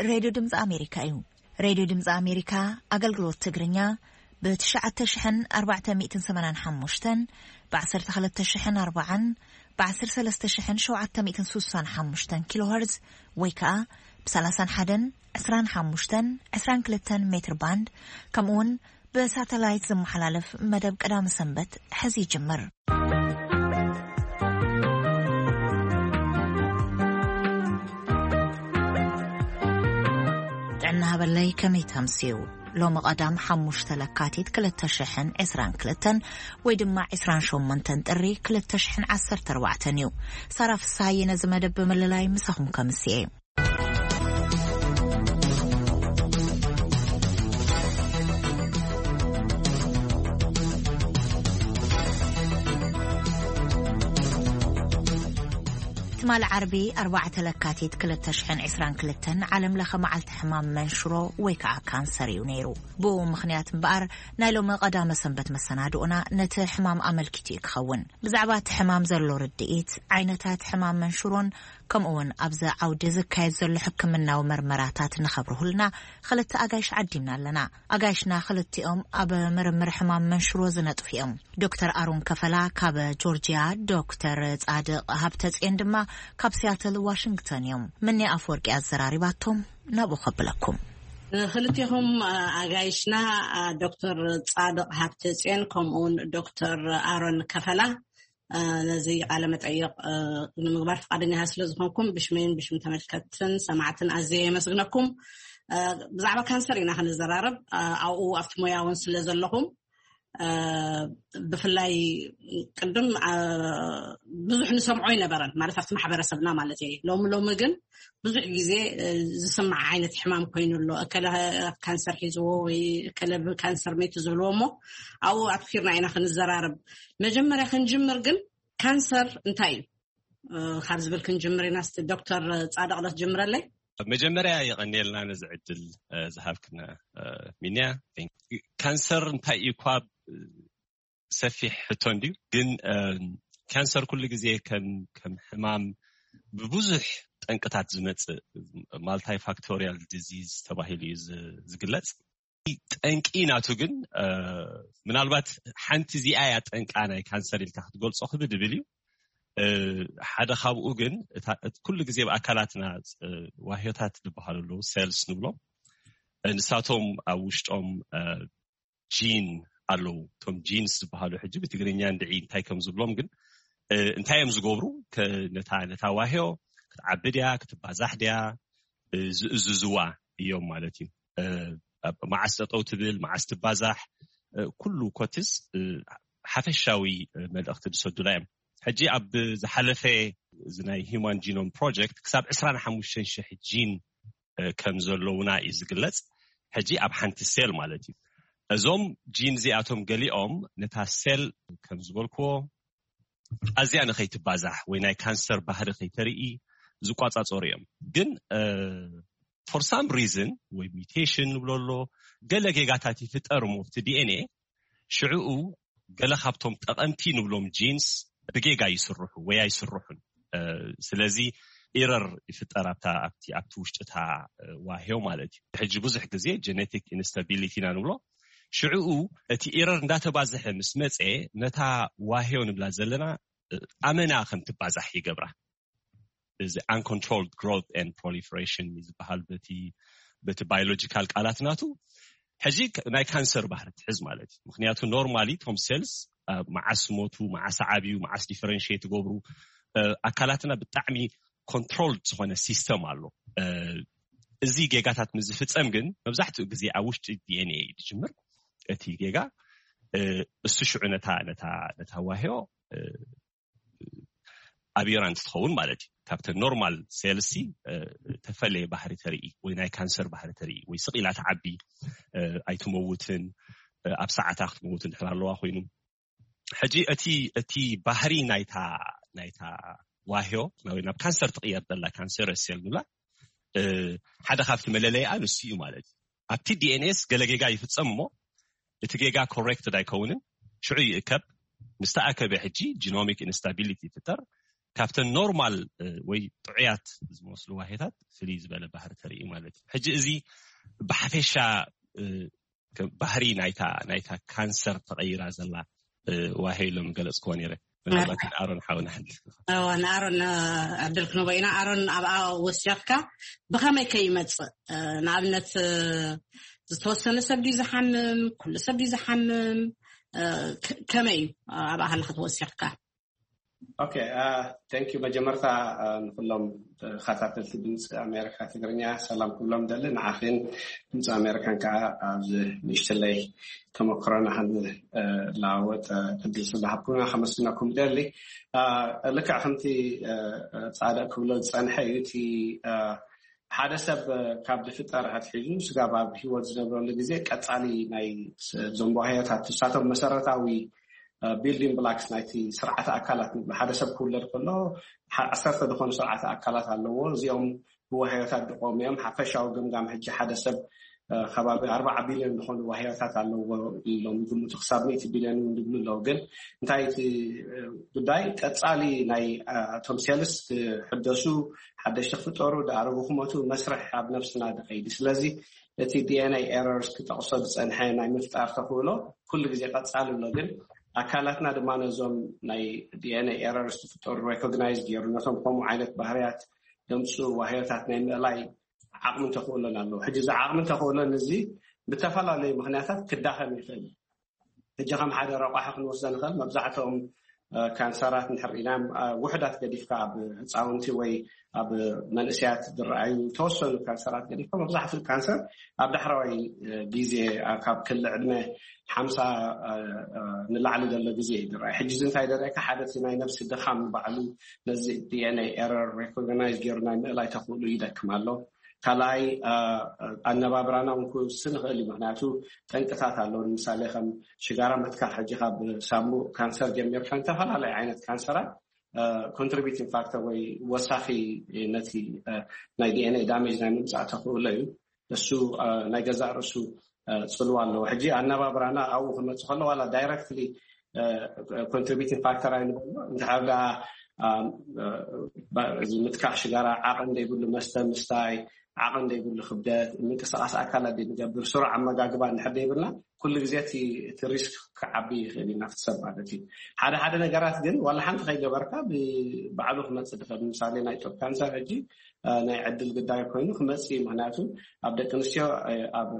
ሬድዮ ድምፂ ኣሜሪካ እዩ። ሬድዮ ድምፂ ኣሜሪካ ኣገልግሎት ትግርኛ ብ ትሽዓተ ሽሕን ኣርባዕተ ሚእትን ሰማንያን ሓሙሽተን፣ ብ ዓሰርተ ክልተ ሽሕን ኣርባዓን፣ ብ ዓሰርተ ሰለስተ ሽሕን ሸውዓተ ሚእትን ስሳን ሓሙሽተን ኪሎ ሄርዝ ወይ ከዓ ብ ሰላሳን ሓደን ዕስራን ሓሙሽተን ዕስራን ክልተን ሜትር ባንድ፣ ከምኡ እውን ብሳተላይት ዝመሓላለፍ መደብ ቀዳሚ ሰንበት ሕዚ ይጅምር። ጥዕና ሃበለይ፣ ከመይ ተምስዩ? ሎሚ ቀዳም ሓሙሽተ ለካቲት ክልተ ሽሕን ዕስራን ክልተን ወይ ድማ ዕስራን ሸሞንተን ጥሪ ክልተ ሽሕን ዓሰርተ ኣርባዕተን እዩ። ሳራ ፍስሃየ ነዚ መደብ ብምልላይ ምሳኹም ከምስየ። ትማሊ ዓርቢ ኣርባዕተ ለካቲት ክልተ ሽሕን ዕስራን ክልተን ዓለም ለኸ መዓልቲ ሕማም መንሽሮ ወይ ከዓ ካንሰር እዩ ነይሩ። ብኡ ምኽንያት እምበኣር ናይ ሎሚ ቀዳመ ሰንበት መሰናድኦና ነቲ ሕማም ኣመልኪቱ እዩ ክኸውን። ብዛዕባ እቲ ሕማም ዘሎ ርድኢት፣ ዓይነታት ሕማም መንሽሮን ከምኡ እውን ኣብዚ ዓውዲ ዝካየድ ዘሎ ሕክምናዊ መርመራታት ንኸብርሁልና ክልተ ኣጋይሽ ዓዲምና ኣለና። ኣጋይሽና ክልቲኦም ኣብ ምርምር ሕማም መንሽሮ ዝነጥፉ እዮም። ዶክተር ኣሮን ከፈላ ካብ ጆርጂያ፣ ዶክተር ጻድቕ ሃብተጽዮን ድማ ካብ ሲያትል ዋሽንግተን እዮም። ምኒ ኣፈወርቂ ኣዘራሪባቶም ናብኡ ከብለኩም። ክልቴኹም ኣጋይሽና ዶክተር ጻድቕ ሃብተጽዮን ከምኡውን ዶክተር ኣሮን ከፈላ ነዚ ቃለ መጠይቕ ንምግባር ፍቓደኛታት ስለ ዝኾንኩም ብሽመይን ብሽም ተመልከትን ሰማዕትን ኣዝየ የመስግነኩም። ብዛዕባ ካንሰር ኢና ክንዘራረብ። ኣብኡ ኣብቲ ሞያ እውን ስለ ዘለኹም፣ ብፍላይ ቅድም ብዙሕ ንሰምዖ ኣይነበረን፣ ማለት ኣብቲ ማሕበረሰብና ማለት እየ። ሎሚ ሎሚ ግን ብዙሕ ግዜ ዝስማዕ ዓይነት ሕማም ኮይኑ ኣሎ። እከለ ካንሰር ሒዝዎ ወይ እከለ ብካንሰር ሜቱ ዝብልዎ እሞ ኣብኡ ኣትኪርና ኢና ክንዘራረብ። መጀመርያ ክንጅምር ግን ካንሰር እንታይ እዩ ካብ ዝብል ክንጅምር ኢና። እስቲ ዶክተር ጻድቕ ዶ ትጅምረለይ? መጀመርያ የቐንየልና ነዚ ዕድል ዝሃብክና ሚንያ። ካንሰር እንታይ እዩ እኳ ሰፊሕ ሕቶ እንድዩ፣ ግን ካንሰር ኩሉ ግዜ ከም ከም ሕማም ብብዙሕ ጠንቅታት ዝመጽእ ማልታይፋክቶሪያል ዲዚዝ ተባሂሉ እዩ ዝግለጽ። ጠንቂ ናቱ ግን ምናልባት ሓንቲ እዚኣ እያ ጠንቃ ናይ ካንሰር ኢልካ ክትገልጾ ክብድ ብል እዩ። ሓደ ካብኡ ግን ኩሉ ግዜ ኣብ ኣካላትና ዋህዮታት ዝበሃሉ ኣለዉ፣ ሴልስ ንብሎም። ንሳቶም ኣብ ውሽጦም ጂን ኣለዉ። እቶም ጂንስ ዝበሃሉ ሕጂ ብትግርኛ እንድዒ እንታይ ከም ዝብሎም ግን እንታይ እዮም ዝገብሩ? ነታ ዋህዮ ክትዓቢ ድያ ክትባዛሕ ድያ ዝእዝዝዋ እዮም ማለት እዩ። መዓስ ጠጠው ትብል፣ መዓስ ትባዛሕ፣ ኩሉ ኮትስ ሓፈሻዊ መልእኽቲ ዝሰዱላ እዮም። ሕጂ ኣብ ዝሓለፈ እዚ ናይ ሂማን ጂኖም ፕሮጀክት ክሳብ ዕስራን ሓሙሽተን ሽሕ ጂን ከም ዘለውና እዩ ዝግለጽ። ሕጂ ኣብ ሓንቲ ሴል ማለት እዩ። እዞም ጂን እዚኣቶም ገሊኦም ነታ ሴል ከም ዝበልክዎ ኣዝያ ንኸይትባዛሕ ወይ ናይ ካንሰር ባህሪ ከይተርኢ ዝቋጻጸሩ እዮም። ግን ፎር ሳም ሪዝን ወይ ሚውቴሽን ንብሎ ኣሎ፣ ገለ ጌጋታት ይፍጠር እሞ ኣብቲ ዲኤንኤ ሽዕኡ ገለ ካብቶም ጠቐምቲ ንብሎም ጂንስ ብጌጋ ይስርሑ ወይ ኣይስርሑን። ስለዚ ኢረር ይፍጠር ኣብታ ኣብቲ ኣብቲ ውሽጥታ ዋህዮ ማለት እዩ። ሕጂ ብዙሕ ግዜ ጀነቲክ ኢንስታቢሊቲ ኢና ንብሎ። ሽዕኡ እቲ ኢረር እንዳተባዝሐ ምስ መፀ ነታ ዋህዮ ንብላ ዘለና ኣመና ከም ትባዛሕ ይገብራ። እዚ uncontrolled growth and proliferation ዝበሃል በቲ በቲ ባዮሎጂካል ቃላት ናቱ ሕጂ ናይ ካንሰር ባህሪ ትሕዝ ማለት እዩ። ምክንያቱ ኖርማሊ ቶም ሴልስ መዓስ ሞቱ፣ መዓስ ዓብዩ፣ መዓስ ዲፈረንሽት ትገብሩ ኣካላትና ብጣዕሚ ኮንትሮል ዝኾነ ሲስተም ኣሎ። እዚ ጌጋታት ምስ ዝፍፀም ግን መብዛሕትኡ ግዜ ኣብ ውሽጢ ዲኤንኤ እዩ ዝጅምር። እቲ ጌጋ እሱ ሽዑ ነታ ነታ ነታ ዋህዮ ኣብ ኢራን እንትትኸውን ማለት እዩ። ካብተን ኖርማል ሴልሲ ተፈለየ ባህሪ ተርኢ ወይ ናይ ካንሰር ባህሪ ተርኢ ወይ ስቕ ኢላ ትዓቢ ኣይትመውትን፣ ኣብ ሰዓታ ክትመውት እንድሕር ኣለዋ ኮይኑ። ሕጂ እቲ እቲ ባህሪ ናይታ ናይታ ዋህዮ ናብ ካንሰር ትቕየር ዘላ ካንሰር ሴል ንብላ ሓደ ካብቲ መለለይኣ ንሱ እዩ ማለት እዩ። ኣብቲ ዲኤንኤስ ገለ ጌጋ ይፍጸም እሞ እቲ ጌጋ ኮሬክትድ ኣይከውንን፣ ሽዑ ይእከብ። ምስ ተኣከበ ሕጂ ጂኖሚክ ኢንስታቢሊቲ ይፍጠር። ካብተን ኖርማል ወይ ጥዑያት ዝመስሉ ዋሄታት ፍልይ ዝበለ ባህሪ ተርኢ ማለት እዩ። ሕጂ እዚ ብሓፈሻ ባህሪ ናይታ ናይታ ካንሰር ተቐይራ ዘላ ዋሄ ኢሎም ገለጽክዎ ነይረ። ምናልባት ንኣሮን ሓውና ሓንቲ ንኣሮን ዕድል ክንቦ ኢና። ኣሮን፣ ኣብኣ ወሲኽካ ብኸመይ ከይመፅእ? ንኣብነት ዝተወሰነ ሰብ ድዩ ዝሓምም? ኩሉ ሰብ ድዩ ዝሓምም? ከመይ እዩ ኣብኣ ከለካ ተወሲኽካ? ኦኬ፣ ቴንክ ዩ። መጀመርታ ንኩሎም ተኸታተልቲ ድምፂ ኣሜሪካ ትግርኛ ሰላም ክብሎም ደሊ። ንዓኽን ድምፂ ኣሜሪካን ከዓ ኣብዚ ንእሽተለይ ተመክሮና ክንለዋወጥ ዕድል ስለዝሃብኩና ከመስግነኩም ደሊ። ልክዕ ከምቲ ፃድቕ ክብሎ ዝፀንሐ እዩ። እቲ ሓደ ሰብ ካብ ዝፍጠር ኣትሒዙ ስጋብ ኣብ ሂወት ዝነብረሉ ግዜ ቀፃሊ ናይ ዞም ባህርያታት ንሳቶም መሰረታዊ ቢልዲንግ ብላክስ ናይቲ ስርዓተ ኣካላት ንብሎ። ሓደ ሰብ ክውለድ ከሎ ዓሰርተ ዝኾኑ ስርዓተ ኣካላት ኣለዎ። እዚኦም ብዋህዮታት ዝቆሙ እዮም። ሓፈሻዊ ግምጋም ሕጂ ሓደ ሰብ ከባቢ ኣርባዓ ቢልዮን ዝኾኑ ዋህዮታት ኣለዎ ኢሎም ይግምቱ። ክሳብ ሚእቲ ቢልዮን እውን ዝብሉ ኣለዉ። ግን እንታይ እቲ ጉዳይ ቀፃሊ ናይ እቶም ሴልስ ክሕደሱ፣ ሓደሽቲ ክፍጠሩ፣ ዝኣረጉ ክመቱ መስርሕ ኣብ ነብስና ዝኸይድ። ስለዚ እቲ ዲኤንኤ ኤረርስ ክጠቕሶ ዝፀንሐ ናይ ምፍጣር ተኽእሎ ኩሉ ግዜ ቀፃሊ ኣሎ። ግን ኣካላትና ድማ ነዞም ናይ ዲኤንኤ ኤረርስ ዝፍጠሩ ሬኮግናይዝ ገይሩ ነቶም ከምኡ ዓይነት ባህርያት ደምፅኡ ዋህዮታት ናይ ምእላይ ዓቕምን ተኽእሎን ኣለዎ። ሕጂ እዚ ዓቕምን ተኽእሎን እዚ ብተፈላለዩ ምኽንያታት ክዳኸም ይኽእል። ሕጂ ከም ሓደ ረቋሒ ክንወስዶ ንኽእል። መብዛሕትኦም ካንሰራት ንሕር ኢና ውሕዳት ገዲፍካ ኣብ ህፃውንቲ ወይ ኣብ መንእሰያት ዝረኣዩ ተወሰኑ ካንሰራት ገዲፍካ መብዛሕትኡ ካንሰር ኣብ ዳሕራዋይ ግዜ ካብ ክሊ ዕድመ ሓምሳ ንላዕሊ ዘሎ ግዜ እዩ ዝረኣዩ። ሕጂ እዚ እንታይ ደረእካ ሓደ ናይ ነብሲ ድኻም ንባዕሉ ነዚ ዲኤንኤ ኤረር ሬኮግናይዝ ገይሩ ናይ ምእላይ ተኽእሉ ይደክም ኣሎ። ካልኣይ ኣነባብራና እውን ክውስን ይኽእል እዩ። ምክንያቱ ጠንቅታት ኣለዉ። ንምሳሌ ከም ሽጋራ ምትካኽ ሕጂ ካብ ሳሙእ ካንሰር ጀሚርካ ዝተፈላለዩ ዓይነት ካንሰራት ኮንትሪቢቲንግ ፋክተር ወይ ወሳኺ ነቲ ናይ ዲኤንኤ ዳሜጅ ናይ ምምፃእ ተኽእሎ እዩ። እሱ ናይ ገዛእ ርእሱ ፅልዋ ኣለዎ። ሕጂ ኣነባብራና ኣብኡ ክመፅእ ከሎ ዋላ ዳይረክትሊ ኮንትሪቢቲንግ ፋክተር ኣይንበሎ እንድሕር ደኣ እዚ ምትካኽ ሽጋራ ዓቕን ዘይብሉ መስተ ምስታይ ዓቕን ዘይብሉ ክብደት ምንቅስቃስ ኣካላት ንገብር ስሩዕ ኣመጋግባ እንድሕር ዘይብልና ኩሉ ግዜ እቲ ሪስክ ክዓቢ ይኽእል እዩ ናብቲ ሰብ ማለት እዩ። ሓደ ሓደ ነገራት ግን ዋላ ሓንቲ ከይገበርካ ብባዕሉ ክመፅእ ድኽእል። ምሳሌ ናይ ጡብ ካንሰር ሕጂ ናይ ዕድል ግዳይ ኮይኑ ክመፅእ እዩ። ምክንያቱ ኣብ ደቂ ኣንስትዮ ኣብ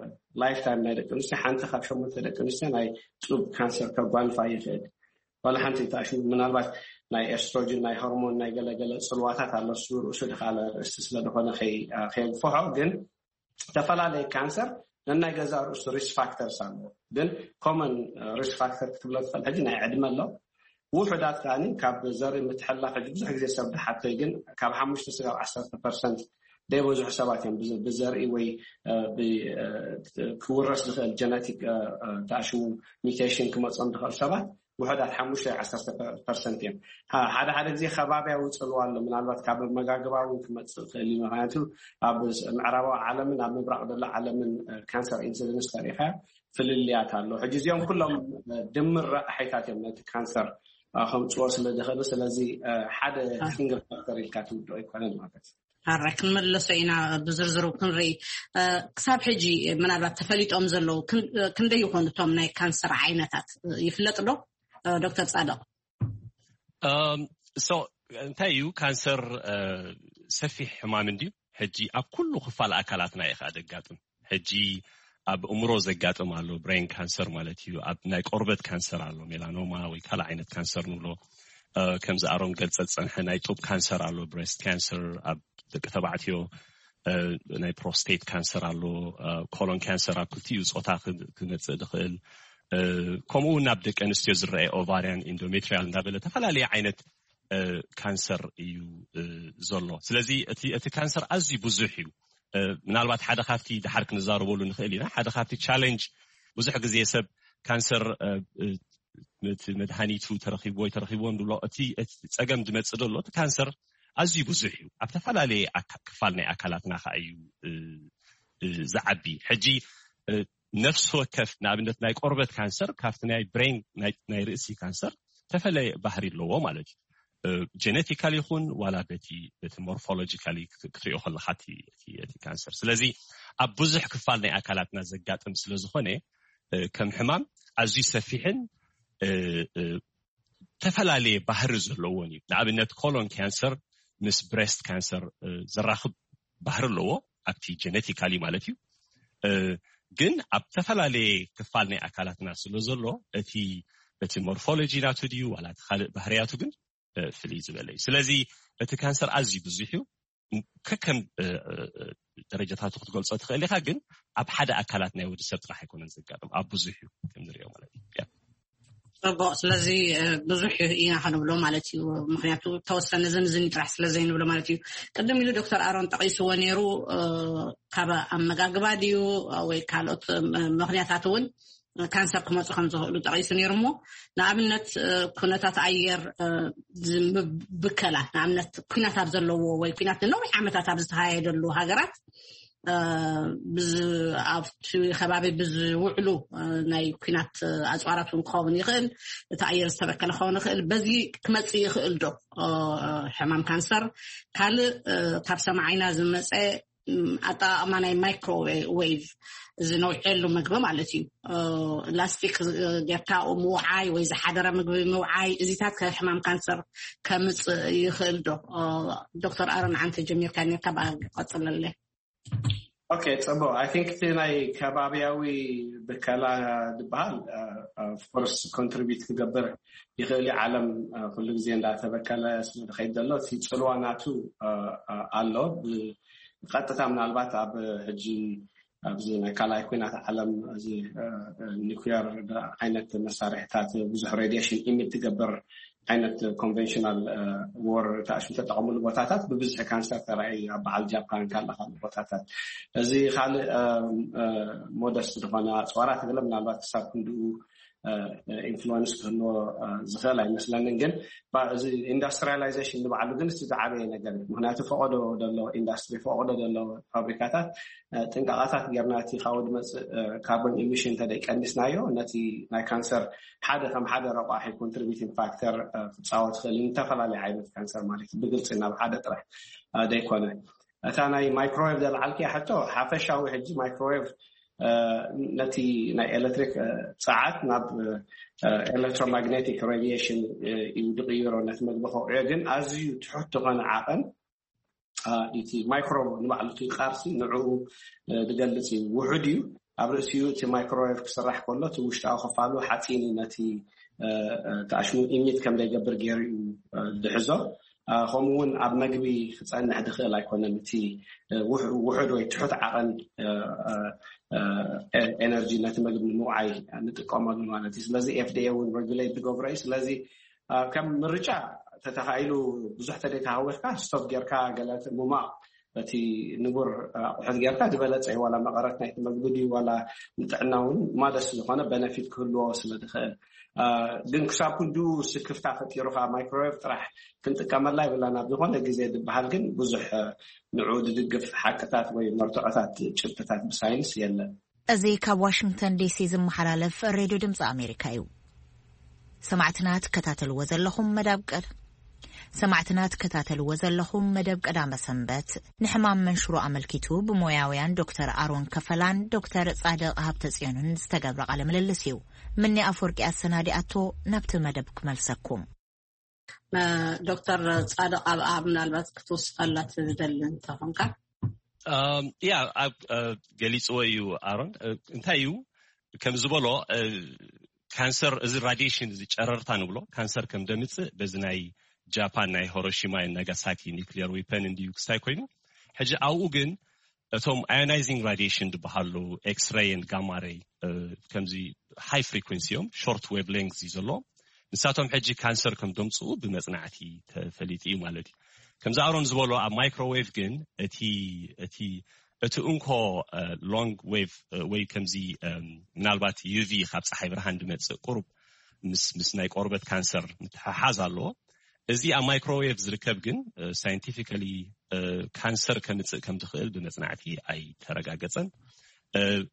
ላይፍ ታይም ናይ ደቂ ኣንስትዮ ሓንቲ ካብ ሸሞንተ ደቂ ኣንስትዮ ናይ ጡብ ካንሰር ከጓንፋ ይኽእል። ዋላ ሓንቲ ተኣሽሙ ምናልባት ናይ ኤስትሮጅን ናይ ሆርሞን ናይ ገለገለ ፅልዋታት ኣሎ። እሱ ርእሱ ድካለ ርእስቲ ስለዝኮነ ከየግፈሖ ግን ዝተፈላለየ ካንሰር ነናይ ገዛ ርእሱ ሪስክ ፋክተርስ ኣለዎ። ግን ኮመን ሪስክ ፋክተር ክትብሎ ትኽእል ሕጂ ናይ ዕድመ ኣሎ። ውሑዳት ከኣ ካብ ዘርኢ ምትሕላፍ ሕጂ ብዙሕ ግዜ ሰብ ድሓተይ ግን ካብ ሓሙሽተ ስጋብ ዓሰርተ ፐርሰንት ዘይበዝሑ ሰባት እዮም ብዘርኢ ወይ ክውረስ ዝኽእል ጀነቲክ ተኣሽሙ ሚቴሽን ክመፆም ዝኽእል ሰባት ውሕዳት ሓሙሽተ ዓሰርተ ፐርሰንት እዮም። ሓደ ሓደ ግዜ ከባብያዊ ፅልዋ ኣሎ። ምናልባት ካብ ኣመጋግባ እውን ክመፅእ ይኽእል እዩ። ምክንያቱ ኣብ ምዕራባዊ ዓለምን ኣብ ምብራቕ ዘሎ ዓለምን ካንሰር ኢንሲደንስ ከሪኢኻ ፍልልያት ኣሎ። ሕጂ እዚኦም ኩሎም ድምር ረቕሒታት እዮም ነቲ ካንሰር ከምፅዎ ስለ ዝኽእሉ፣ ስለዚ ሓደ ሲንግል ፋክተር ኢልካ ትውድኦ ኣይኮነን ማለት እዩ። ኣረ ክንመለሶ ኢና ብዝርዝሩ ክንርኢ። ክሳብ ሕጂ ምናልባት ተፈሊጦም ዘለዉ ክንደይ ይኾኑ እቶም ናይ ካንሰር ዓይነታት ይፍለጥ ዶ ዶክተር ፃድቕ? እንታይ እዩ ካንሰር? ሰፊሕ ሕማም እንድዩ። ሕጂ ኣብ ኩሉ ክፋል ኣካላትና እዩ ከዓ ደጋጥም። ሕጂ ኣብ እምሮ ዘጋጥም ኣሎ ብሬን ካንሰር ማለት እዩ። ኣብ ናይ ቆርበት ካንሰር ኣሎ ሜላኖማ ወይ ካልእ ዓይነት ካንሰር ንብሎ። ከምዚ ኣሮን ገልጸ ዝጸንሐ ናይ ጡብ ካንሰር ኣሎ ብሬስት ካንሰር ኣብ ደቂ ተባዕትዮ። ናይ ፕሮስቴት ካንሰር ኣሎ። ኮሎን ካንሰር ኣብ ክልቲኡ ፆታ ክመፅእ ዝኽእል። ከምኡ እውን ናብ ደቂ ኣንስትዮ ዝረአ ኦቫሪያን ኢንዶሜትሪያል እንዳበለ ተፈላለየ ዓይነት ካንሰር እዩ ዘሎ። ስለዚ እቲ ካንሰር ኣዝዩ ብዙሕ እዩ። ምናልባት ሓደ ካብቲ ድሓር ክንዛረበሉ ንኽእል ኢና። ሓደ ካብቲ ቻሌንጅ ብዙሕ ግዜ ሰብ ካንሰር መድሃኒቱ ተረኪቡ ወይ ተረኪብዎ ንብሎ፣ እቲ ጸገም ዝመጽእ ዘሎ እቲ ካንሰር ኣዝዩ ብዙሕ እዩ። ኣብ ዝተፈላለየ ክፋል ናይ ኣካላትና ከዓ እዩ ዝዓቢ። ሕጂ ነፍሲ ወከፍ ንኣብነት ናይ ቆርበት ካንሰር ካብቲ ናይ ብሬን ናይ ርእሲ ካንሰር ተፈለየ ባህሪ ኣለዎ ማለት እዩ። ጀነቲካል ይኹን ዋላ በቲ በቲ ሞርፎሎጂካሊ ክትሪኦ ከለካ እቲ ካንሰር። ስለዚ ኣብ ብዙሕ ክፋል ናይ ኣካላትና ዘጋጥም ስለዝኾነ ከም ሕማም ኣዝዩ ሰፊሕን ዝተፈላለየ ባህሪ ዘለዎን እዩ። ንኣብነት ኮሎን ካንሰር ምስ ብሬስት ካንሰር ዘራኽብ ባህሪ ኣለዎ፣ ኣብቲ ጀነቲካሊ ማለት እዩ። ግን ኣብ ዝተፈላለየ ክፋል ናይ ኣካላትና ስለ ዘሎ እቲ እቲ ሞርፎሎጂ ናቱ ድዩ ዋላ እቲ ካልእ ባህርያቱ ግን ፍልይ ዝበለ እዩ። ስለዚ እቲ ካንሰር ኣዝዩ ብዙሕ እዩ። ከከም ደረጃታቱ ክትገልጾ ትኽእል ኢኻ፣ ግን ኣብ ሓደ ኣካላት ናይ ወዲ ሰብ ጥራሕ ኣይኮነን ዘጋጥም፣ ኣብ ብዙሕ እዩ ከም ንሪኦ ማለት እዩ። ጽቡቕ። ስለዚ ብዙሕ ኢና ክንብሎ ማለት እዩ። ምክንያቱ ተወሰነ ዝን ዝን ጥራሕ ስለ ዘይንብሎ ማለት እዩ። ቅድም ኢሉ ዶክተር ኣሮን ጠቒስዎ ነይሩ፣ ካብ ኣመጋግባ ድዩ ወይ ካልኦት ምክንያታት እውን ካንሰር ክመፁ ከም ዝኽእሉ ጠቒሱ ነይሩ። እሞ ንኣብነት ኩነታት ኣየር ብከላ፣ ንኣብነት ኩናት ኣብ ዘለዎ ወይ ኩናት ንነዊሕ ዓመታት ኣብ ዝተካየደሉ ሃገራት፣ ኣብቲ ከባቢ ብዝውዕሉ ናይ ኩናት ኣፅዋራት እውን ክኸውን ይኽእል፣ እቲ ኣየር ዝተበከለ ክኸውን ይኽእል። በዚ ክመፅእ ይኽእል ዶ ሕማም ካንሰር? ካልእ ካብ ሰማዓይና ዝመፀ ኣጠቃቅማ ናይ ማይክሮዌቭ፣ እዚ ነውዕሉ ምግቢ ማለት እዩ። ላስቲክ ጌርካ ምውዓይ ወይ ዝሓደረ ምግቢ ምውዓይ፣ እዚታት ከሕማም ካንሰር ከምፅእ ይኽእል ዶ? ዶክተር ኣሮን፣ ዓንተ ጀሚርካ ኔርካ፣ ብኣ ቀፅለለ። ኦኬ፣ ፅቡቅ። ኣይ ቲንክ እቲ ናይ ከባቢያዊ ብከላ ዝበሃል ኦፍኮርስ ኮንትሪቢዩት ክገብር ይኽእል እዩ። ዓለም ኩሉ ግዜ እንዳተበከለ ስለዝኸይድ ዘሎ እቲ ፅልዋ ናቱ ኣሎ። ብቀጥታ ምናልባት ኣብ ሕጂ ኣብዚ ናይ ካልኣይ ኩናት ዓለም እዚ ኒኩሊር ዓይነት መሳርሕታት ብዙሕ ሬዲሽን ኢሚት ትገብር ዓይነት ኮንቨንሽናል ወር ተኣሽም ተጠቐምሉ ቦታታት ብብዝሒ ካንሰር ተራእዩ ኣብ በዓል ጃፓን ካልእ ካልእ ቦታታት። እዚ ካልእ ሞደስት ዝኾነ ኣፅዋራት ገለ ምናልባት ክሳብ ክንድኡ ኢንፍሉወንስ ክህልዎ ዝኽእል ኣይመስለንን። ግን እዚ ኢንዱስትሪያላይዜሽን ንባዕሉ ግን እቲ ዝዓበየ ነገር እዩ። ምክንያቱ ፈቐዶ ዘሎ ኢንዱስትሪ፣ ፈቐዶ ዘሎ ፋብሪካታት ጥንቃቓታት ጌርና እቲ ካብኡ ዝመፅእ ካርቦን ኢሚሽን እንተደይ ቀንስናዮ ነቲ ናይ ካንሰር ሓደ ከም ሓደ ረቋሒ ኮንትሪቢቲንግ ፋክተር ክፃወት ክእል ዝተፈላለዩ ዓይነት ካንሰር ማለት እዩ። ብግልፂ ናብ ሓደ ጥራሕ ደይኮነ እታ ናይ ማይክሮዌቭ ዘልዓልክያ ሕቶ ሓፈሻዊ ሕጂ ማይክሮዌቭ ነቲ ናይ ኤሌክትሪክ ፀዓት ናብ ኤሌክትሮማግኔቲክ ሬዲሽን እዩ ዝቅይሮ። ነቲ መግቢ ከውዕዮ ግን ኣዝዩ ትሑት ዝኾነ ዓቐን እቲ ማይክሮ ንባዕሉ እቲ ቃርሲ ንዕኡ ዝገልፅ እዩ። ውሑድ እዩ። ኣብ ርእሲኡ እቲ ማይክሮዌቭ ክስራሕ ከሎ እቲ ውሽጣዊ ክፋሉ ሓፂን እዩ ነቲ ተኣሽሙ ኢሚት ከም ዘይገብር ገይሩ እዩ ዝሕዞ። ከምኡ እውን ኣብ መግቢ ክፀንሕ ዝኽእል ኣይኮነን። እቲ ውሑድ ወይ ትሑት ዓቐን ኤነርጂ ነቲ መግቢ ንምውዓይ ንጥቀመሉ ማለት እዩ። ስለዚ ኤፍዲኤ እውን ሬጉሌት ዝገብሮ እዩ። ስለዚ ከም ምርጫ ተተኻኢሉ ብዙሕ ተደይተሃወርካ ስቶፕ ጌርካ ገለ ምማቕ በቲ ንቡር ኣቑሑት ጌርካ ዝበለፀ እዩ። ዋላ መቐረት ናይቲ መግቢ ድዩ ዋላ ንጥዕና እውን ማደስ ዝኾነ በነፊት ክህልዎ ስለ ዝኽእል። ግን ክሳብ ክንዱ ስክፍታ ፈጢሩ ከዓ ማይክሮዌቭ ጥራሕ ክንጥቀመላ ይብላን ኣብ ዝኾነ ግዜ ዝበሃል ግን ብዙሕ ንዑ ዝድግፍ ሓቅታት ወይ መርትዖታት ጭብጥታት ብሳይንስ የለን። እዚ ካብ ዋሽንግተን ዲሲ ዝመሓላለፍ ሬድዮ ድምፂ ኣሜሪካ እዩ። ሰማዕትና ትከታተልዎ ዘለኹም መደብ ቀድ ሰማዕትና ትከታተልዎ ዘለኹም መደብ ቀዳመ ሰንበት ንሕማም መንሽሮ ኣመልኪቱ ብሞያውያን ዶክተር ኣሮን ከፈላን ዶክተር ጻድቕ ሃብተጽዮንን ዝተገብረ ቃለ ምልልስ እዩ። ምኒ ኣፈወርቂ ኣሰናዲኣቶ። ናብቲ መደብ ክመልሰኩም። ዶክተር ጻድቕ ኣብኣ ምናልባት ክትውስኸላ ትደሊ እንተኾንካ። ያ ኣብ ገሊፅዎ እዩ ኣሮን። እንታይ እዩ ከም ዝበሎ ካንሰር፣ እዚ ራዲሽን፣ እዚ ጨረርታ ንብሎ ካንሰር ከም ደምፅእ በዚ ናይ ጃፓን ናይ ሂሮሺማ ናጋሳኪ ኒክሊየር ዊፐን እንድዩ ክስታይ ኮይኑ። ሕጂ ኣብኡ ግን እቶም ኣዮናይዚንግ ራዲሽን ዝበሃሉ ኤክስሬይን ጋማሬይ ከምዚ ሃይ ፍሪኩንሲ እዮም፣ ሾርት ዌቭ ሌንግዝ እዩ ዘለዎም። ንሳቶም ሕጂ ካንሰር ከም ደምፅኡ ብመፅናዕቲ ተፈሊጡ እዩ ማለት እዩ። ከምዚ ኣሮን ዝበሎ ኣብ ማይክሮዌቭ ግን እቲ እቲ እቲ እንኮ ሎንግ ዌቭ ወይ ከምዚ ምናልባት ዩቪ ካብ ፀሓይ ብርሃን ድመፅእ ቁሩብ ምስ ምስ ናይ ቆርበት ካንሰር ምትሕሓዝ ኣለዎ። እዚ ኣብ ማይክሮዌቭ ዝርከብ ግን ሳይንቲፊካሊ ካንሰር ከምፅእ ከም ዝኽእል ብመፅናዕቲ ኣይተረጋገፀን።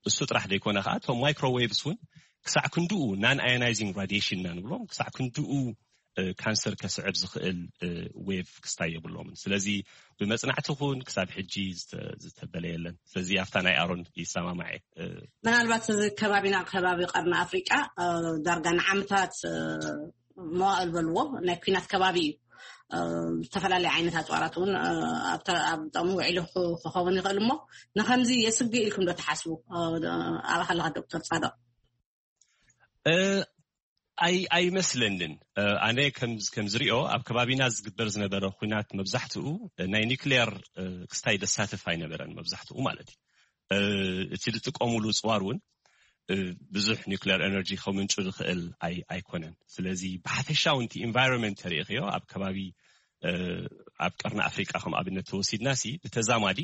እሱ ጥራሕ ዘይኮነ ከዓ እቶም ማይክሮዌቭስ እውን ክሳዕ ክንድኡ ናን ኣዮናይዚንግ ራዲሽን ኢና ንብሎም ክሳዕ ክንድኡ ካንሰር ከስዕብ ዝኽእል ዌቭ ክስታይ የብሎምን። ስለዚ ብመጽናዕቲ ኹን ክሳብ ሕጂ ዝተበለ የለን። ስለዚ ኣብታ ናይ ኣሮን ይሰማማዕ። ምናልባት እዚ ከባቢና ከባቢ ቀርኒ ኣፍሪቃ ዳርጋ ንዓመታት መዋእል በልዎ ናይ ኩናት ከባቢ እዩ። ዝተፈላለዩ ዓይነት ኣፅዋራት እውን ኣብ ጥቕሚ ውዒሉ ክኸውን ይኽእል። እሞ ንከምዚ የስግእ ኢልኩም ዶ ትሓስቡ? ኣባካ ኣለካ ዶክተር ፃድቕ። ኣይመስለንን። ኣነ ከም ዝሪኦ ኣብ ከባቢና ዝግበር ዝነበረ ኩናት መብዛሕትኡ ናይ ኒክሌር ክስታይ ደሳትፍ ኣይነበረን፣ መብዛሕትኡ ማለት እዩ። እቲ ዝጥቀሙሉ ፅዋር እውን ብዙሕ ኒክሌር ኤነርጂ ከምንጩ ዝኽእል ኣይኮነን። ስለዚ ብሓፈሻዊ እቲ ኢንቫይሮንመንት ተሪእኽዮ ኣብ ከባቢ ኣብ ቀርኒ ኣፍሪቃ ከም ኣብነት ተወሲድና ሲ ብተዛማዲ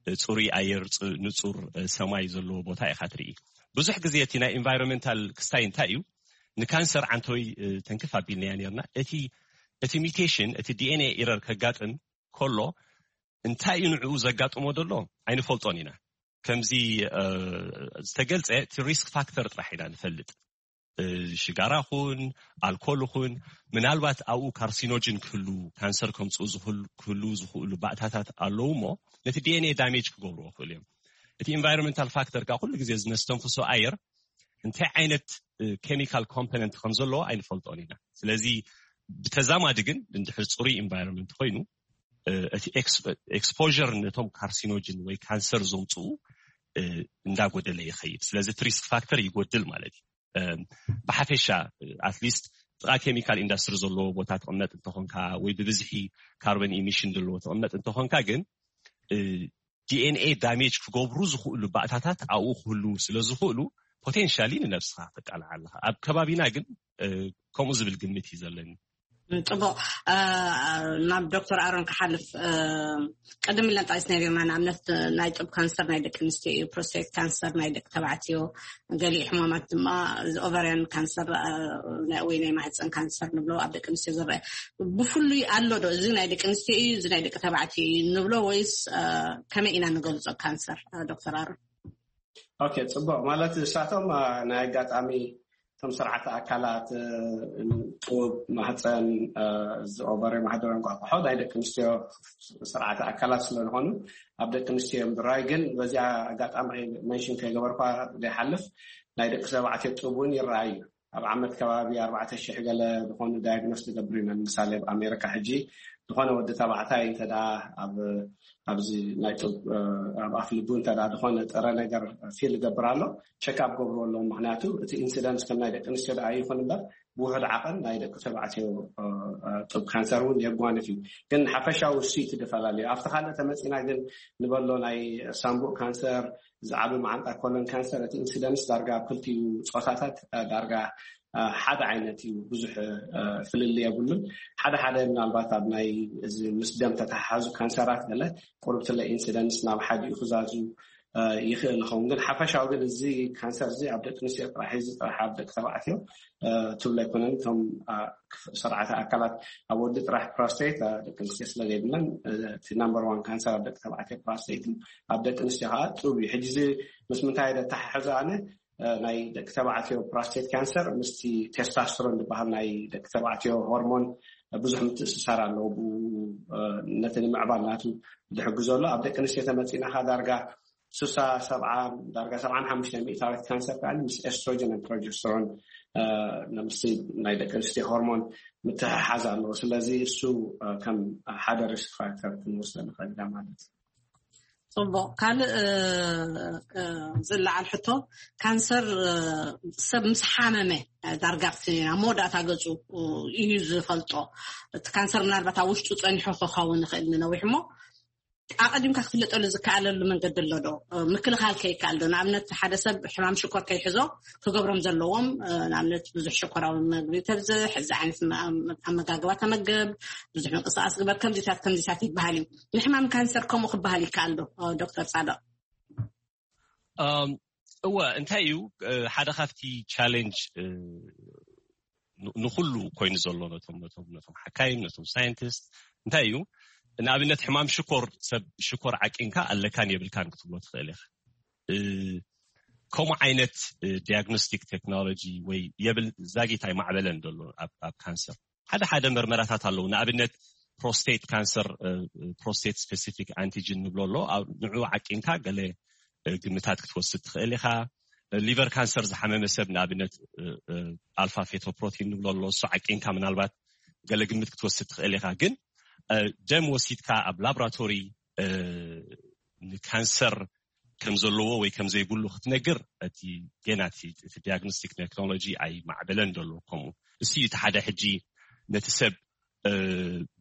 ፅሩይ ኣየር፣ ንፁር ሰማይ ዘለዎ ቦታ ኢኻ ትርኢ። ብዙሕ ግዜ እቲ ናይ ኢንቫይሮንመንታል ክስታይ እንታይ እዩ? ንካንሰር ዓንተወይ ተንክፍ ኣቢልናያ ነርና። እቲ ሚቴሽን፣ እቲ ዲኤንኤ ኢረር ከጋጥም ከሎ እንታይ እዩ ንዕኡ ዘጋጥሞ ዘሎ ኣይንፈልጦን ኢና። ከምዚ ዝተገልፀ እቲ ሪስክ ፋክተር ጥራሕ ኢና ንፈልጥ። ሽጋራ ኹን ኣልኮል ኹን ምናልባት ኣብኡ ካርሲኖጅን ክህሉ፣ ካንሰር ከምፅኡ ክህሉ ዝኽእሉ ባእታታት ኣለዉ እሞ ነቲ ዲኤንኤ ዳሜጅ ክገብርዎ ክእሉ እዮም። እቲ ኢንቫይሮንመንታል ፋክተር ከዓ ኩሉ ግዜ ዝነስተንፍሶ ኣየር እንታይ ዓይነት ኬሚካል ኮምፖነንት ከም ዘለዎ ኣይንፈልጦን ኢና። ስለዚ ብተዛማዲ ግን እንድሕር ፅሩይ ኢንቫይሮንመንት ኮይኑ እቲ ኤክስፖር ነቶም ካርሲኖጅን ወይ ካንሰር ዘምፅኡ እንዳጎደለ ይኸይድ። ስለዚ እቲ ሪስክ ፋክተር ይጎድል ማለት እዩ። ብሓፈሻ ኣትሊስት ጥቓ ኬሚካል ኢንዳስትሪ ዘለዎ ቦታ ትቕመጥ እንተኾንካ ወይ ብብዝሒ ካርበን ኢሚሽን ዘለዎ ትቕመጥ እንተኾንካ ግን ዲኤንኤ ዳሜጅ ክገብሩ ዝኽእሉ ባእታታት ኣብኡ ክህልዉ ስለ ዝኽእሉ ፖቴንሻሊ ንነብስኻ ተቃልዓ ኣለኻ። ኣብ ከባቢና ግን ከምኡ ዝብል ግምት እዩ ዘለኒ። ፅቡቅ። ናብ ዶክተር ኣሮን ክሓልፍ ቅድም ኢለን ጠቂስ ነሪና ንኣብነት ናይ ጡብ ካንሰር ናይ ደቂ ኣንስትዮ እዩ፣ ፕሮስቴት ካንሰር ናይ ደቂ ተባዕትዮ፣ ገሊኡ ሕማማት ድማ ኦቨርያን ካንሰር ወይ ናይ ማህፀን ካንሰር ንብሎ ኣብ ደቂ ኣንስትዮ ዝረአ ብፍሉይ ኣሎ ዶ? እዚ ናይ ደቂ ኣንስትዮ እዩ፣ እዚ ናይ ደቂ ተባዕትዮ እዩ ንብሎ ወይስ ከመይ ኢና ንገልፆ ካንሰር? ዶክተር ኣሮን። ኦኬ፣ ፅቡቅ። ማለት እሳቶም ናይ ኣጋጣሚ እቶም ስርዓተ ኣካላት ጡብ፣ ማህፀን፣ እዚ ኦቨሪ፣ ማህደረ እንቋቑሖ ናይ ደቂ ኣንስትዮ ስርዓተ ኣካላት ስለዝኾኑ ኣብ ደቂ ኣንስትዮ እዮም ዝረኣዩ። ግን በዚኣ ኣጋጣሚ መንሽን ከይገበርኳ ዘይሓልፍ ናይ ደቂ ተባዕትዮ ጡብ እውን ይረኣዩ። ኣብ ዓመት ከባቢ ኣርባዕተ ሽሕ ገለ ዝኾኑ ዳያግኖስ ዝገብሩ ኢና። ንምሳሌ ኣብ ኣሜሪካ ሕጂ ዝኾነ ወዲ ተባዕታይ እንተ ኣብዚ ናይ ጡብ ኣብ ኣፍ ልቡ እንተ ዝኾነ ጥረ ነገር ፊል ይገብር ኣሎ፣ ቸክ ኣፕ ገብርዎ ኣለዎም። ምክንያቱ እቲ ኢንሲደንስ ከም ናይ ደቂ ኣንስትዮ ደኣ ይኹን እምበር ብውሑድ ዓቐን ናይ ደቂ ተባዕትዮ ጡብ ካንሰር እውን የጓንፍ እዩ። ግን ሓፈሻዊ እሱ እዩ እቲ ድፈላለዩ። ኣብቲ ካልእ ተመፂና ግን ንበሎ ናይ ሳምቡእ ካንሰር፣ ዝዓቢ መዓንጣ ኮለን ካንሰር እቲ ኢንሲደንስ ዳርጋ ኣብ ክልቲኡ ፆታታት ዳርጋ ሓደ ዓይነት እዩ፣ ብዙሕ ፍልልይ የብሉን። ሓደ ሓደ ምናልባት ኣብ ናይ እዚ ምስ ደም ተተሓሓዙ ካንሰራት ገለ ቁሩብ ትለ ኢንሲደንስ ናብ ሓዲኡ ክዛዙ ይኽእል ይኸውን። ግን ሓፈሻዊ ግን እዚ ካንሰር እዚ ኣብ ደቂ ኣንስትዮ ጥራሕ፣ እዚ ጥራሕ ኣብ ደቂ ተባዕትዮ ትብሎ ኣይኮነን። እቶም ስርዓተ ኣካላት ኣብ ወዲ ጥራሕ ፕሮስቴት ደቂ ኣንስትዮ ስለ ዘይብለን እቲ ናምበር ዋን ካንሰር ኣብ ደቂ ተባዕትዮ ፕሮስቴት፣ ኣብ ደቂ ኣንስትዮ ከዓ ጡብ እዩ። ሕጂ እዚ ምስ ምንታይ ዘተሓሕዞ ኣነ ናይ ደቂ ተባዕትዮ ፕሮስቴት ካንሰር ምስቲ ቴስታስትሮን ዝበሃል ናይ ደቂ ተባዕትዮ ሆርሞን ብዙሕ ምትእስሳር ኣለዎ። ብኡ ነቲ ንምዕባል ናቱ ዝሕግዞ ኣሎ። ኣብ ደቂ ኣንስትዮ ተመፂናኻ ዳርጋ ስሳ ሰብዓ ዳርጋ ሰብዓን ሓሙሽተ ሚእታዊት ካንሰር ከዓ ምስ ኤስትሮጅን ፕሮጀስትሮን ምስቲ ናይ ደቂ ኣንስትዮ ሆርሞን ምትሕሓዝ ኣለዎ። ስለዚ እሱ ከም ሓደ ሪስክ ፋክተር ክንወስዶ ንኽእል ኢና ማለት እዩ። ፅቡቅ። ካልእ ዝለዓል ሕቶ፣ ካንሰር ሰብ ምስ ሓመመ ዳርጋ ኣብቲ ኣብ መወዳእታ ገፁ እዩ ዝፈልጦ። እቲ ካንሰር ምናልባት ኣብ ውሽጡ ፀኒሑ ክኸውን ይኽእል ንነዊሕ እሞ ኣቐዲምካ ክፍለጠሉ ዝከኣለሉ መንገዲ ኣሎ ዶ? ምክልኻል ከይከኣል ዶ? ንኣብነት ሓደ ሰብ ሕማም ሽኮር ከይሕዞ ክገብሮም ዘለዎም፣ ንኣብነት ብዙሕ ሽኮራዊ መግቢ ተብዝሕ፣ እዚ ዓይነት ኣመጋግባ ተመገብ፣ ብዙሕ ምንቅስቃስ ግበር፣ ከምዚታት ከምዚታት ይበሃል እዩ። ንሕማም ካንሰር ከምኡ ክበሃል ይከኣል ዶ ዶክተር ፃድቕ? እወ፣ እንታይ እዩ ሓደ ካብቲ ቻሌንጅ ንኩሉ ኮይኑ ዘሎ ነቶም ነቶም ነቶም ሓካይም ነቶም ሳይንቲስት እንታይ እዩ ንኣብነት ሕማም ሽኮር ሰብ ሽኮር ዓቂንካ ኣለካን የብልካን ክትብሎ ትኽእል ኢኻ። ከምኡ ዓይነት ዲያግኖስቲክ ቴክኖሎጂ ወይ የብል ዛጊት ኣይማዕበለን ዘሎ ኣብ ካንሰር። ሓደ ሓደ መርመራታት ኣለዉ። ንኣብነት ፕሮስቴት ካንሰር፣ ፕሮስቴት ስፔሲፊክ ኣንቲጅን ንብሎ ኣሎ። ንዑ ዓቂንካ ገለ ግምታት ክትወስድ ትኽእል ኢኻ። ሊቨር ካንሰር ዝሓመመ ሰብ ንኣብነት ኣልፋ ፌቶፕሮቲን ንብሎ ኣሎ። እሱ ዓቂንካ ምናልባት ገለ ግምት ክትወስድ ትኽእል ኢኻ። ግን ደም ወሲድካ ኣብ ላቦራቶሪ ንካንሰር ከም ዘለዎ ወይ ከም ዘይብሉ ክትነግር፣ እቲ ገና እቲ ዲያግኖስቲክ ቴክኖሎጂ ኣይማዕበለን ዘሎ። ከምኡ እሱ እዩ እቲ ሓደ። ሕጂ ነቲ ሰብ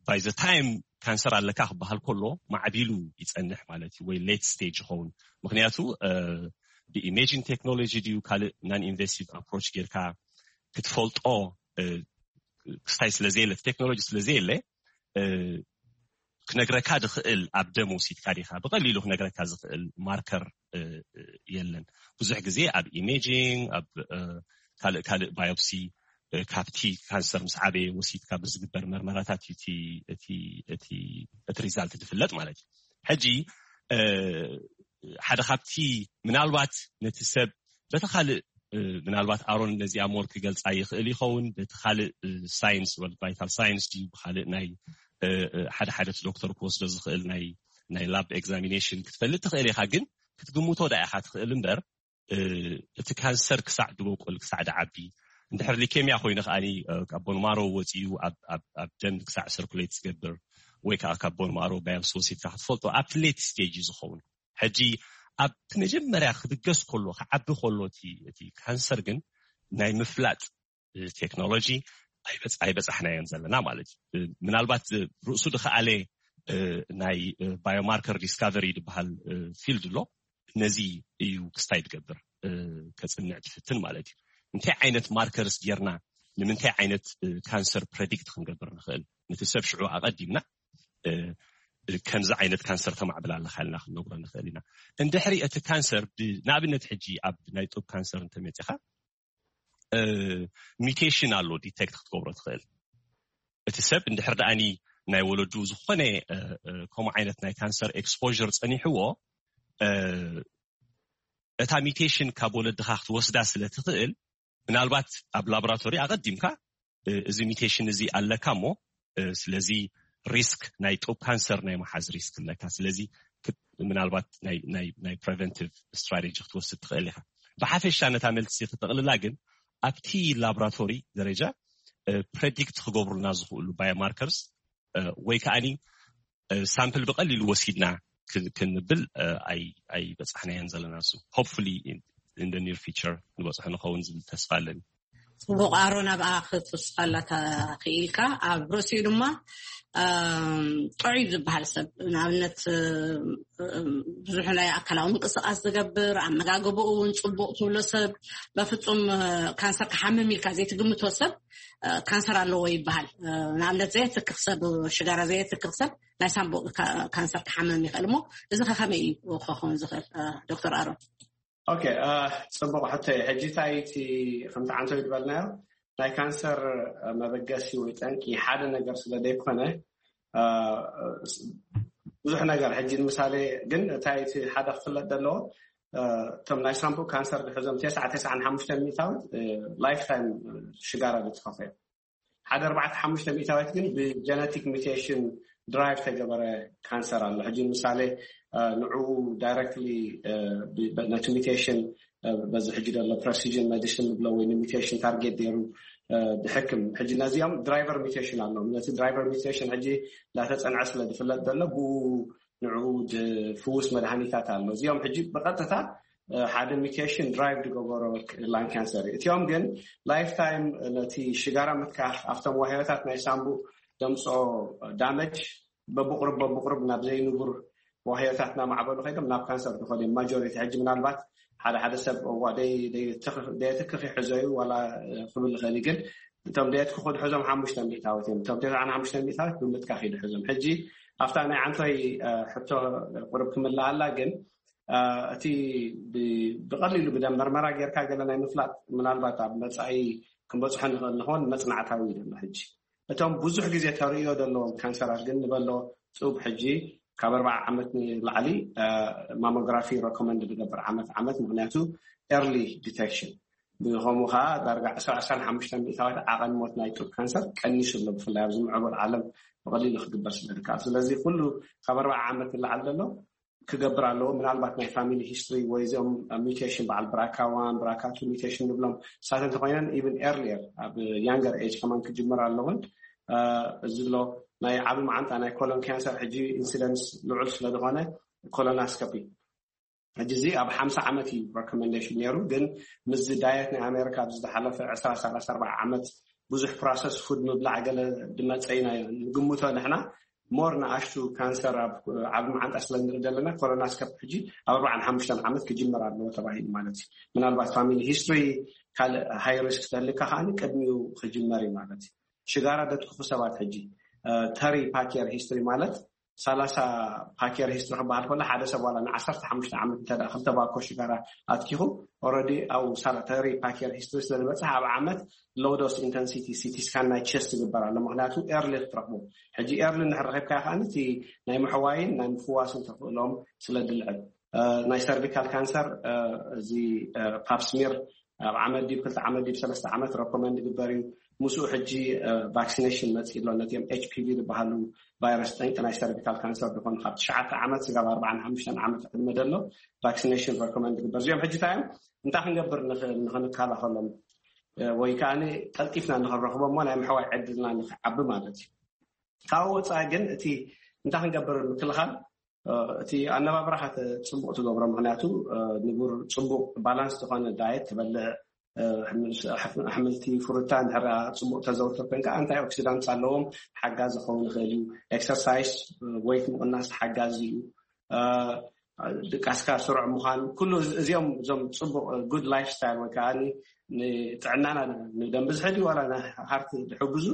ባይ ዘ ታይም ካንሰር ኣለካ ክበሃል ከሎ ማዕቢሉ ይጸንሕ ማለት እዩ፣ ወይ ሌት ስቴጅ ይኸውን። ምክንያቱ ብኢሜጂንግ ቴክኖሎጂ ድዩ ካልእ ናን ኢንቨሲቭ ኣፕሮች ጌርካ ክትፈልጦ ክስታይ ስለዘየለ፣ ቴክኖሎጂ ስለዘየለ ክነግረካ ድኽእል ኣብ ደም ወሲድካ ዲኻ ብቐሊሉ ክነግረካ ዝኽእል ማርከር የለን። ብዙሕ ግዜ ኣብ ኢሜጂንግ፣ ኣብ ካልእ ካልእ ባዮፕሲ ካብቲ ካንሰር ምስ ዓበየ ወሲድካ ብዝግበር መርመራታት እዩ እቲ ሪዛልት ዝፍለጥ ማለት እዩ። ሕጂ ሓደ ካብቲ ምናልባት ነቲ ሰብ በቲ ካልእ ምናልባት ኣሮን ነዚኣ ሞር ክገልፃ ይኽእል ይኸውን። በቲ ካልእ ሳይንስ ወ ቫይታል ሳይንስ ድዩ ብካልእ ናይ ሓደ ሓደ እቲ ዶክተር ክወስዶ ዝኽእል ናይ ላብ ኤግዛሚኔሽን ክትፈልጥ ትኽእል ኢኻ። ግን ክትግምቶ ዳ ኢኻ ትኽእል እምበር እቲ ካንሰር ክሳዕ ድበቁል ክሳዕ ድዓቢ፣ እንድሕር ሊኬሚያ ኮይኑ ከዓኒ ካብ ቦንማሮ ወፂኡ ኣብ ደም ክሳዕ ሰርኩሌት ዝገብር ወይ ከዓ ካብ ቦንማሮ ባዮፕሲ ወሲድካ ክትፈልጦ ኣብቲ ሌት ስቴጅ እዩ ዝኸውን። ሕጂ ኣብቲ መጀመርያ ክብገስ ከሎ ክዓቢ ከሎ እቲ ካንሰር ግን ናይ ምፍላጥ ቴክኖሎጂ ኣይበፃሕናዮን ዘለና ማለት እዩ። ምናልባት ርእሱ ድኸኣለ ናይ ባዮማርከር ዲስካቨሪ ዝበሃል ፊልድ ኣሎ። ነዚ እዩ ክስታይ ትገብር ከፅንዕ ትፍትን ማለት እዩ። እንታይ ዓይነት ማርከርስ ጌርና ንምንታይ ዓይነት ካንሰር ፕረዲክት ክንገብር ንኽእል? ነቲ ሰብ ሽዑ ኣቐዲምና ከምዚ ዓይነት ካንሰር ተማዕብል ኣለካ ኢልና ክንነግሮ ንኽእል ኢና። እንድሕሪ እቲ ካንሰር ንኣብነት ሕጂ ኣብ ናይ ጡብ ካንሰር እንተመፂኻ ሚቴሽን ኣሎ ዲቴክት ክትገብሮ ትኽእል። እቲ ሰብ እንድሕር ደኣኒ ናይ ወለዱ ዝኾነ ከምኡ ዓይነት ናይ ካንሰር ኤክስፖር ፀኒሕዎ እታ ሚቴሽን ካብ ወለድኻ ክትወስዳ ስለ ትኽእል ምናልባት ኣብ ላቦራቶሪ ኣቐዲምካ እዚ ሚቴሽን እዚ ኣለካ እሞ ስለዚ ሪስክ ናይ ጡብ ካንሰር ናይ መሓዝ ሪስክ ኣለካ። ስለዚ ምናልባት ናይ ፕሬቨንቲቭ ስትራቴጂ ክትወስድ ትኽእል ኢኻ። ብሓፈሻ ነታ መልሲ ክጠቕልላ ግን ኣብቲ ላቦራቶሪ ደረጃ ፕሬዲክት ክገብሩልና ዝኽእሉ ባዮማርከርስ ወይ ከዓኒ ሳምፕል ብቐሊሉ ወሲድና ክንብል ኣይበፃሕናዮን ዘለና። ሱ ሆፕፉሊ ኢን ኒር ፊቸር ንበፅሑ ንኸውን ዝብል ተስፋ ኣለኒ። ፅቡቕ ኣሮን፣ ኣብኣ ክትውስኸላ ተኽኢልካ። ኣብ ርእሲኡ ድማ ጥዑይ ዝበሃል ሰብ ንኣብነት ብዙሕ ናይ ኣካላዊ ምንቅስቃስ ዝገብር፣ ኣመጋግባኡ እውን ፅቡቕ ትብሎ ሰብ፣ በፍፁም ካንሰር ክሓምም ኢልካ ዘይትግምቶ ሰብ ካንሰር ኣለዎ ይበሃል። ንኣብነት ዘየትክኽ ሰብ፣ ሽጋራ ዘየትክኽ ሰብ ናይ ሳምቡእ ካንሰር ክሓምም ይኽእል እሞ እዚ ከ ከመይ እዩ ክኸውን ዝኽእል ዶክተር ኣሮን? ኦኬ፣ ፅቡቕ ሕቶ እዩ። ሕጂ እንታይ እቲ ከምቲ ዓንተው ዝበልናዮ ናይ ካንሰር መበገሲ ወይ ጠንቂ ሓደ ነገር ስለ ዘይኮነ ብዙሕ ነገር ሕጂ ንምሳሌ ግን እንታይ እቲ ሓደ ክፍለጥ ዘለዎ እቶም ናይ ሳምቡእ ካንሰር ዝሕዞም ተስዓ ተስዓን ሓሙሽተ ሚእታዊት ላይፍ ታይም ሽጋራ ዝትኸፈ ሓደ ኣርባዕተ ሓሙሽተ ሚእታዊት ግን ብጀነቲክ ሚቴሽን ድራይቭ ተገበረ ካንሰር ኣሎ። ሕጂ ምሳሌ ንዕኡ ዳይረክትሊ ነቲ ሚቴሽን በዚ ሕጂ ዘሎ ፕረሲዥን ሜዲሲን ንብሎ ወይ ሚቴሽን ታርጌት ገይሩ ዝሕክም ሕጂ ነዚኦም ድራይቨር ሚቴሽን ኣለዎም። ነቲ ድራይቨር ሚቴሽን ሕጂ እንዳተፀንዐ ስለ ዝፍለጥ ዘሎ ብኡ ንዕኡ ዝፍውስ መድሃኒታት ኣሎ። እዚኦም ሕጂ ብቐጥታ ሓደ ሚቴሽን ድራይቭ ዝገበሮ ላን ካንሰር እዩ። እቲኦም ግን ላይፍ ታይም ነቲ ሽጋራ ምትካኽ ኣብቶም ዋህዮታት ናይ ሳምቡእ ደምፅኦ ዳመጅ በብቁሩብ በብቁሩብ ናብ ዘይንቡር ዋህዮታት እናማዕበሉ ከይዶም ናብ ካንሰር ዝኸዱ እዮም ማጆሪቲ። ሕጂ ምናልባት ሓደ ሓደ ሰብ እዋ ደየትክኽ ይሕዞ እዩ ዋላ ክብል ይኽእል እዩ። ግን እቶም ደየትክኹ ዝሕዞም ሓሙሽተ ሚእታዊት እዮም። እቶም ተስዓን ሓሙሽተ ሚእታዊት ብምትካኽ እዩ ዝሕዞም። ሕጂ ኣብታ ናይ ዓንቶይ ሕቶ ቁሩብ ክምልኣላ ግን እቲ ብቐሊሉ ብደም መርመራ ጌርካ ገለ ናይ ምፍላጥ ምናልባት ኣብ መፃኢ ክንበፅሖ ንኽእል ንኸውን መፅናዕታዊ እዩ ዘሎ። ሕጂ እቶም ብዙሕ ግዜ ተርእዮ ዘለዎም ካንሰራት ግን ንበሎ ፁብ ሕጂ ካብ ኣርባዓ ዓመት ንላዕሊ ማሞግራፊ ረኮመንድ ዝገብር ዓመት ዓመት ምክንያቱ ኤርሊ ዲቴክሽን ብኸምኡ ከዓ ዳርጋ ዕስራ ዕስራን ሓሙሽተን ሚእታዊት ዓቐን ሞት ናይ ጡብ ካንሰር ቀኒሱ ኣሎ። ብፍላይ ኣብዚ ምዕቡል ዓለም ብቐሊሉ ክግበር ስለ ዝከኣል፣ ስለዚ ኩሉ ካብ ኣርባዓ ዓመት ንላዕሊ ዘሎ ክገብር ኣለዎ። ምናልባት ናይ ፋሚሊ ሂስትሪ ወይ እዚኦም ሚውቴሽን፣ በዓል ብራካ ዋን ብራካ ቱ ሚውቴሽን ንብሎም ሳት እንተኮይነን ኢቭን ኤርሊየር ኣብ ያንገር ኤጅ ከማን ክጅምር ኣለውን። እዚ ኣሎ ናይ ዓቢ መዓንጣ ናይ ኮሎን ካንሰር ሕጂ ኢንሲደንስ ልዑል ስለዝኮነ ኮሎናስኮፒ ሕጂ እዚ ኣብ ሓምሳ ዓመት እዩ ሬኮመንዴሽን ነይሩ። ግን ምስ ዳየት ናይ ኣሜሪካ ኣብዚ ዝሓለፈ ዕስራ ሰላሳ ኣርባዓ ዓመት ብዙሕ ፕሮሰስ ፉድ ምብላዕ ገለ ድመፀ ኢና ንግምቶ ንሕና። ሞር ንኣሽቱ ካንሰር ኣብ ዓቢ መዓንጣ ስለ ንርኢ ዘለና ኮሎናስኮፕ ሕጂ ኣብ ኣርባዓን ሓሙሽተን ዓመት ክጅመር ኣለዎ ተባሂሉ ማለት እዩ። ምናልባት ፋሚሊ ሂስትሪ ካልእ ሃይ ሪስክ ተልካ ከዓኒ ቅድሚኡ ክጅመር እዩ ማለት እዩ። ሽጋራ ደትኩኹ ሰባት ሕጂ ተሪ ፓኪየር ሂስትሪ ማለት ሰላሳ ፓኪየር ሂስትሪ ክበሃል ከሎ ሓደ ሰብ ዋላ ንዓሰርተ ሓሙሽተ ዓመት እንተ ክልተ ባኮ ሽጋራ ኣትኪኹ ኦረዲ ኣብ ሳላተሪ ፓኪየር ሂስትሪ ስለ ዝበፅሕ ኣብ ዓመት ሎዶስ ኢንተንሲቲ ሲቲ ስካን ናይ ቸስት ይግበር ኣሎ። ምክንያቱ ኤርሊ ክትረክቦ ሕጂ ኤርሊ እንድሕር ረኪብካ ከዓኒ እቲ ናይ ምሕዋይን ናይ ምፍዋስን ተኽእሎም ስለ ድልዕል ናይ ሰርቪካል ካንሰር እዚ ፓፕስሚር ኣብ ዓመት ዲብ ክልተ ዓመት ዲብ ሰለስተ ዓመት ረኮመንድ ይግበር እዩ። ምስኡ ሕጂ ቫክሲኔሽን መፅእ ኣሎ። ነቲኦም ኤች ፒ ቪ ዝበሃሉ ቫይረስ ጠንቂ ናይ ሰርቪካል ካንሰር ዝኾኑ ካብ ትሽዓተ ዓመት ስጋብ ኣርባዓን ሓሙሽተን ዓመት ዕድመ ዘሎ ቫክሲኔሽን ረኮመንድ ይግበር። እዚኦም ሕጂ እንታይ እዮም እንታይ ክንገብር ንኽእል ንኽንከላኸሎም ወይ ከዓ ቀልጢፍና ንኽንረኽቦ እሞ ናይ ምሕዋይ ዕድልና ንኽዓቢ ማለት እዩ። ካብ ወፃኢ ግን እቲ እንታይ ክንገብር ምክልኻል እቲ ኣነባብራኻ ጽቡቕ ትገብሮ። ምክንያቱ ንቡር ጽቡቕ ባላንስ ዝኾነ ዳየት ትበልዕ፣ ኣሕምልቲ ፍሩታ እንድሕር ጽቡቕ ተዘውትር ኮንካ ኣንታይ ኦክሲዳንት ኣለዎም፣ ሓጋዚ ክኸውን ይኽእል እዩ። ኤክሰርሳይስ፣ ወይት ምቕናስ ሓጋዚ እዩ። ድቃስካ ስሩዕ ምዃን፣ ኩሉ እዚኦም እዞም ጽቡቕ ጉድ ላይፍ ስታይል ወይ ከዓ ንጥዕናና ንደም ብዝሒ ድዩ ዋላ ንሃርት ዝሕግዙ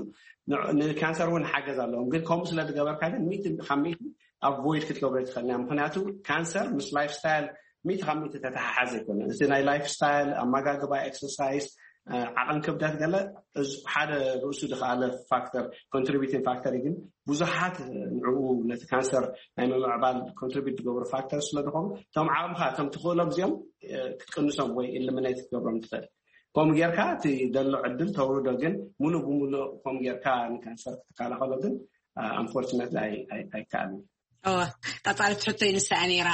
ንካንሰር እውን ሓገዝ ኣለዎም። ግን ከምኡ ስለ ዝገበርካ ግን ሚእቲ ካብ ሚእቲ ኣቮይድ ክትገብሮ ትኽእል እያ። ምክንያቱ ካንሰር ምስ ላይፍ ስታይል ሚእቲ ካብ ሚእቲ ተተሓሓዘ ኣይኮነን። እቲ ናይ ላይፍ ስታይል፣ ኣመጋግባ፣ ኤክሰርሳይዝ፣ ዓቐን ክብደት ገለ ሓደ ርእሱ ዝኸኣለ ፋክተር ኮንትሪቢቲንግ ፋክተር እዩ። ግን ብዙሓት ንዕኡ ነቲ ካንሰር ናይ ምምዕባል ኮንትሪቢት ዝገብሩ ፋክተር ስለ ዝኾኑ እቶም ዓቕምኻ እቶም ትኽእሎም እዚኦም ክትቅንሶም ወይ ኢሊሚኔት ክትገብሮም ትኽእል። ከምኡ ጌርካ እቲ ዘሎ ዕድል ተውርዶ። ግን ሙሉእ ብሙሉእ ከምኡ ጌርካ ንካንሰር ክትከላኸሎ ግን ኣንፎርችነት ኣይከኣልን። እወ፣ ቀጻሊት ሕቶይ ንሳ እያ ነይራ።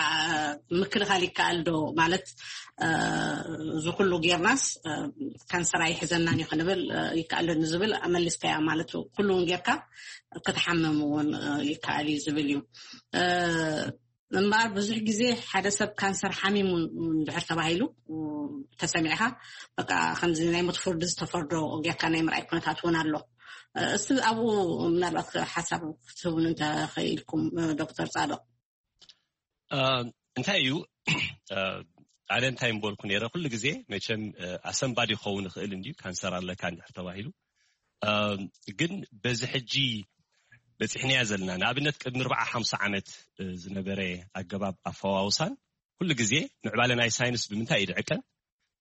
ምክልኻል ይከኣል ዶ ማለት እዚ ኩሉ ጌርናስ ካንሰር ኣይሕዘናን እዩ ክንብል ይከኣል ዶ ንዝብል መሊስካያ ማለት ኩሉ እውን ጌርካ ክትሓምም እውን ይከኣል እዩ ዝብል እዩ። እምበኣር ብዙሕ ግዜ ሓደ ሰብ ካንሰር ሓሚሙ እንድሕር ተባሂሉ ተሰሚዕካ በቃ ከምዚ ናይ ሞት ፍርዲ ዝተፈርዶ ጌርካ ናይ ምርኣይ ኩነታት እውን ኣሎ። እስቲ ኣብኡ ምናልባት ሓሳብ ክትህቡን እንተኽኢልኩም ዶክተር ጻድቕ። እንታይ እዩ ኣነ እንታይ ምበልኩ ነይረ ኩሉ ግዜ መቸም ኣሰንባዲ ክኸውን ይኽእል እንድዩ ካንሰር ኣለካ እንድሕር ተባሂሉ ግን በዚ ሕጂ በፂሕናያ ዘለና ንኣብነት ቅድሚ ኣርባዓ ሓምሳ ዓመት ዝነበረ ኣገባብ ኣፈዋውሳን ኩሉ ግዜ ምዕባለ ናይ ሳይንስ ብምንታይ እዩ ድዕቀን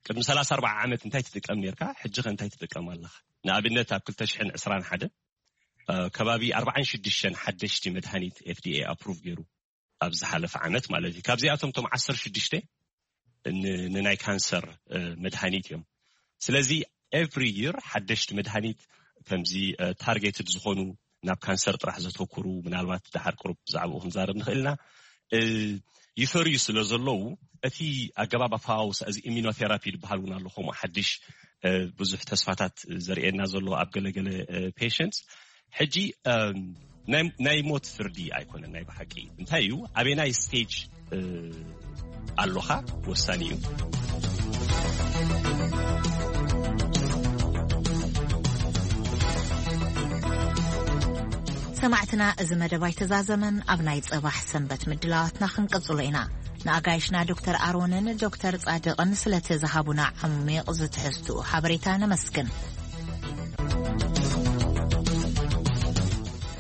ቅድሚ ሰላሳ ኣርባዓ ዓመት እንታይ ትጥቀም ነርካ ሕጂ ከ እንታይ ትጥቀም ኣለኻ ንኣብነት ኣብ ክልተ ሽሕን ዕስራን ሓደን ከባቢ ኣርባዓን ሽዱሽተን ሓደሽቲ መድሃኒት ኤፍ ዲ ኤ ኣፕሩቭ ገይሩ ኣብ ዝሓለፈ ዓመት ማለት እዩ ካብዚኣቶም ቶም ዓሰርተ ሽዱሽተ ንናይ ካንሰር መድሃኒት እዮም ስለዚ ኤቭሪ ይር ሓደሽቲ መድሃኒት ከምዚ ታርጌትድ ዝኾኑ ናብ ካንሰር ጥራሕ ዘተኩሩ ምናልባት ድሓር ቅሩብ ብዛዕባኡ ክንዛረብ ንኽእል ኢና ይፈርዩ ስለ ዘለዉ እቲ ኣገባብ ኣፈዋውሳ እዚ ኢሚኖቴራፒ ዝበሃል እውን ኣሎ ከምኡ ሓድሽ ብዙሕ ተስፋታት ዘርእየና ዘሎ ኣብ ገለገለ ፔሽንትስ ሕጂ ናይ ሞት ፍርዲ ኣይኮነን ናይ ብሓቂ እንታይ እዩ ኣበናይ ስቴጅ ኣሎኻ ወሳኒ እዩ ሰማዕትና እዚ መደብ ኣይተዛዘመን ኣብ ናይ ጽባሕ ሰንበት ምድላዋትና ክንቅጽሎ ኢና ንኣጋይሽና ዶክተር ኣሮንን ዶክተር ጻድቕን ስለቲ ዝሃቡና ዓሚቕ ዝትሕዝትኡ ሓበሬታ ነመስግን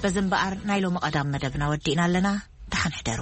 በዚ እምበኣር ናይ ሎሚ ቀዳም መደብና ወዲእና ኣለና ደሓን ሕደሩ